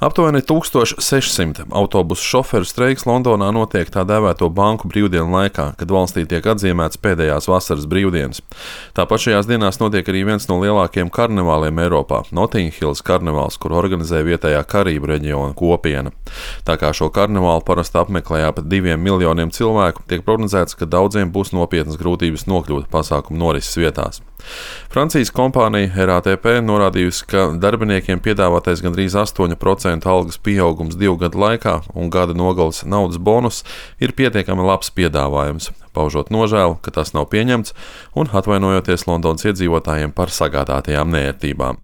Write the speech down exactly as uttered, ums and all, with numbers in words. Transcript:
Aptuveni tūkstoš sešsimt autobusu šoferu streiks Londonā notiek tā dēvēto banku brīvdienu laikā, kad valstī tiek atzīmētas pēdējās vasaras brīvdienas. Tāpat šajās dienās notiek arī viens no lielākajiem karnevāliem Eiropā - Notting Hills karnevāls, kur organizē vietējā Karību reģiona kopiena. Tā kā šo karnevālu parasti apmeklē ap diviem miljoniem cilvēku, tiek prognozēts, ka daudziem būs nopietnas grūtības nokļūt pasākumu norises vietās. Francijas kompānija R A T P norādījusi, ka darbiniekiem piedāvātais gandrīz astoņu procentu algas pieaugums divu gadu laikā un gada nogales naudas bonus ir pietiekami labs piedāvājums, paužot nožēlu, ka tas nav pieņemts un atvainojoties Londonas iedzīvotājiem par sagādātajām neērtībām.